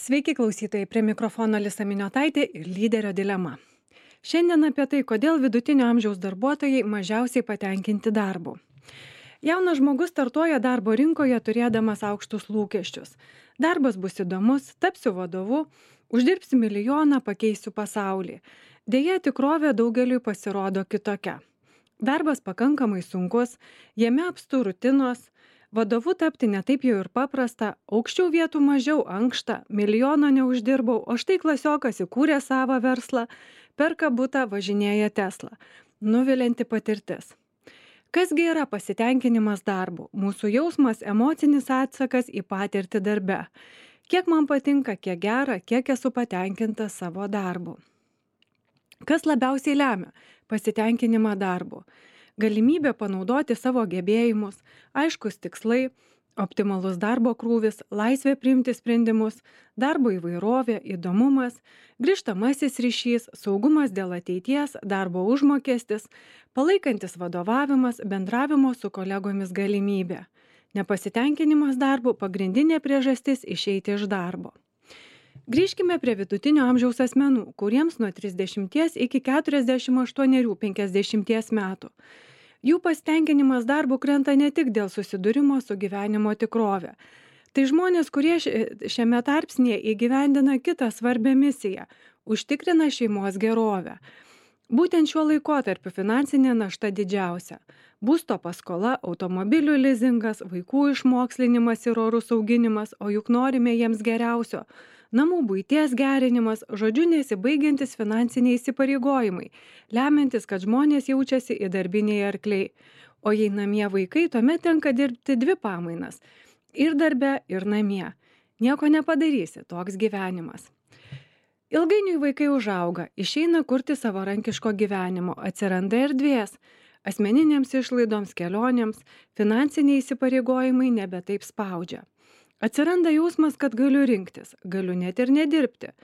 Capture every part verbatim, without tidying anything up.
Sveiki klausytojai, prie mikrofono Alisa Miniotaitė ir lyderio dilema. Šiandien apie tai, kodėl vidutinio amžiaus darbuotojai mažiausiai patenkinti darbu. Jaunas žmogus startuoja darbo rinkoje turėdamas aukštus lūkesčius. Darbas bus įdomus, tapsiu vadovu, uždirbsiu milijoną, pakeisiu pasaulį. Deja, tikrovė daugeliui pasirodo kitokia. Darbas pakankamai sunkus, jame apstu rutinos, vadovu tapti netaip jau ir paprasta, aukščiau vietų mažiau ankšta, milijono neuždirbau, o štai klasiokas įkūrė savo verslą, perka butą, važinėja Tesla. Nuvilianti patirtis. Kasgi yra pasitenkinimas darbu? Mūsų jausmas, emocinis atsakas į patirtį darbe. Kiek man patinka, kiek gera, kiek esu patenkinta savo darbu. Kas labiausiai lemia pasitenkinimą darbu? Galimybė panaudoti savo gebėjimus, aiškus tikslai, optimalus darbo krūvis, laisvė priimti sprendimus, darbo įvairovė, įdomumas, grįžtamasis ryšys, saugumas dėl ateities, darbo užmokestis, palaikantis vadovavimas, bendravimo su kolegomis galimybė. Nepasitenkinimas darbu pagrindinė priežastis išeiti iš darbo. Grįžkime prie vidutinio amžiaus asmenų, kuriems nuo trisdešimties iki keturiasdešimt aštuonių penkiasdešimties metų. Jų pasitenkinimas darbu krenta ne tik dėl susidūrimo su gyvenimo tikrove. Tai žmonės, kurie šiame tarpsnyje įgyvendina kitą svarbią misiją – užtikrina šeimos gerovę. Būtent šiuo laikotarpiu finansinė našta didžiausia. Būsto paskola, automobilių lizingas, vaikų išmokslinimas ir orus auginimas, o juk norime jiems geriausio. Namų buities gerinimas, žodžiu nesibaigiantis finansiniai įsipareigojimai, lemiantis, kad žmonės jaučiasi įdarbiniai arkliai. O jei namie vaikai, tuomet tenka dirbti dvi pamainas – ir darbe, ir namie. Nieko nepadarysi, toks gyvenimas. Ilgainiui vaikai užauga, išeina kurti savarankiško gyvenimo, atsiranda erdvės, asmeninėms išlaidoms, kelionėms, finansiniai įsipareigojimai nebe taip spaudžia. Atsiranda jausmas, kad galiu rinktis, galiu net ir nedirbti.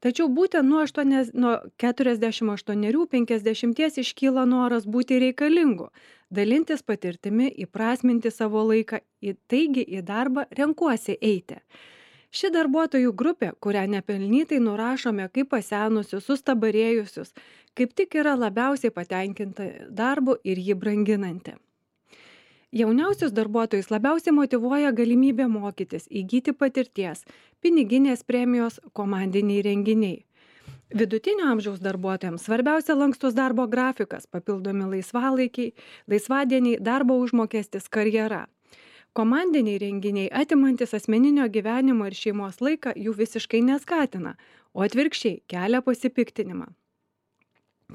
Tačiau būtent nuo, aštuonias, nuo keturiasdešimt aštuonių penkiasdešimties iškyla noras būti reikalingu, dalintis patirtimi, įprasminti savo laiką, taigi į darbą renkuosi eiti. Ši darbuotojų grupė, kurią nepelnytai nurašome kaip pasenusius, sustabarėjusius, kaip tik yra labiausiai patenkinta darbu ir jį branginanti. Jauniausius darbuotojus labiausiai motyvuoja galimybė mokytis, įgyti patirties, piniginės premijos, komandiniai renginiai. Vidutinio amžiaus darbuotojams svarbiausia lankstus darbo grafikas, papildomi laisvalaikiai, laisvadieniai, darbo užmokestis, karjera. Komandiniai renginiai, atimantis asmeninio gyvenimo ir šeimos laiką, jų visiškai neskatina, o atvirkščiai kelia pasipiktinimą.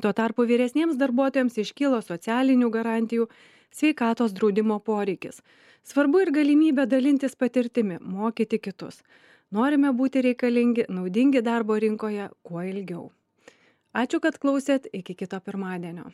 Tuo tarpu vyresniems darbuotojams iškyla socialinių garantijų, sveikatos draudimo poreikis. Svarbu ir galimybė dalintis patirtimi, mokyti kitus. Norime būti reikalingi, naudingi darbo rinkoje kuo ilgiau. Ačiū, kad klausėt, iki kito pirmadienio.